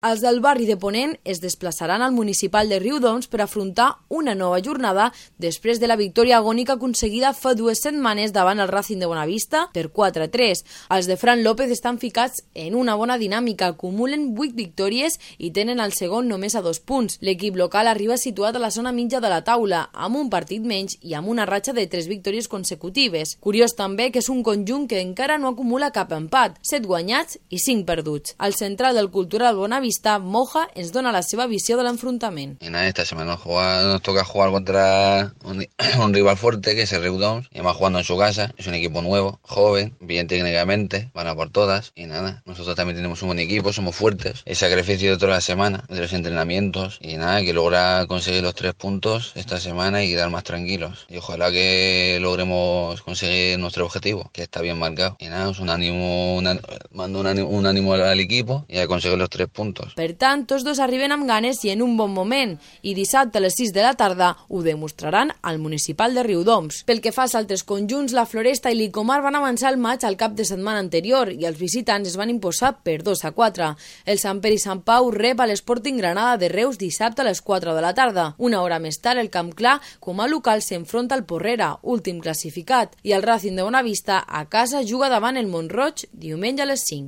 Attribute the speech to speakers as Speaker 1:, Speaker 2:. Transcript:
Speaker 1: Els del barri de Ponent es desplaçaran al municipal de Riudoms per afrontar una nova jornada després de la victòria agònica aconseguida fa 2 setmanes davant el Racing de Bonavista per 4-3. Els de Fran López estan ficats en una bona dinàmica, acumulen 8 victòries i tenen el segon només a 2 punts. L'equip local arriba situat a la zona mitja de la taula, amb un partit menys i amb una ratxa de 3 victòries consecutives. Curiós també que és un conjunt que encara no acumula cap empat, 7 guanyats i 5 perduts. El central del Cultural Bonavista, Moja, ens dona la seva visió de l'enfrontament.
Speaker 2: Esta semana nos toca jugar contra un rival fuerte que es el Riudoms, y además jugando en su casa. Es un equipo nuevo, joven, bien técnicamente, van a por todas y nada. Nosotros también tenemos un buen equipo, somos fuertes. El sacrificio de toda la semana, de los entrenamientos y nada, que logra conseguir los 3 puntos esta semana y quedar más tranquilos. Y ojalá que logremos conseguir nuestro objetivo, que está bien marcado. Y nada, es mando un ánimo al equipo y a conseguir los 3 puntos.
Speaker 1: Per tant, tots dos arriben amb ganes i en un bon moment, i dissabte a les 6 de la tarda ho demostraran al municipal de Riudoms. Pel que fa als altres conjunts, la Floresta i l'Icomar van avançar el maig al cap de setmana anterior i els visitants es van imposar per 2-4. El Sant Pere i Sant Pau rep a l'Sporting Granada de Reus dissabte a les 4 de la tarda. Una hora més tard, el Camp Clar, com a local, s'enfronta al Porrera, últim classificat, i el Racing de Bonavista a casa juga davant el Mont-roig diumenge a les 5.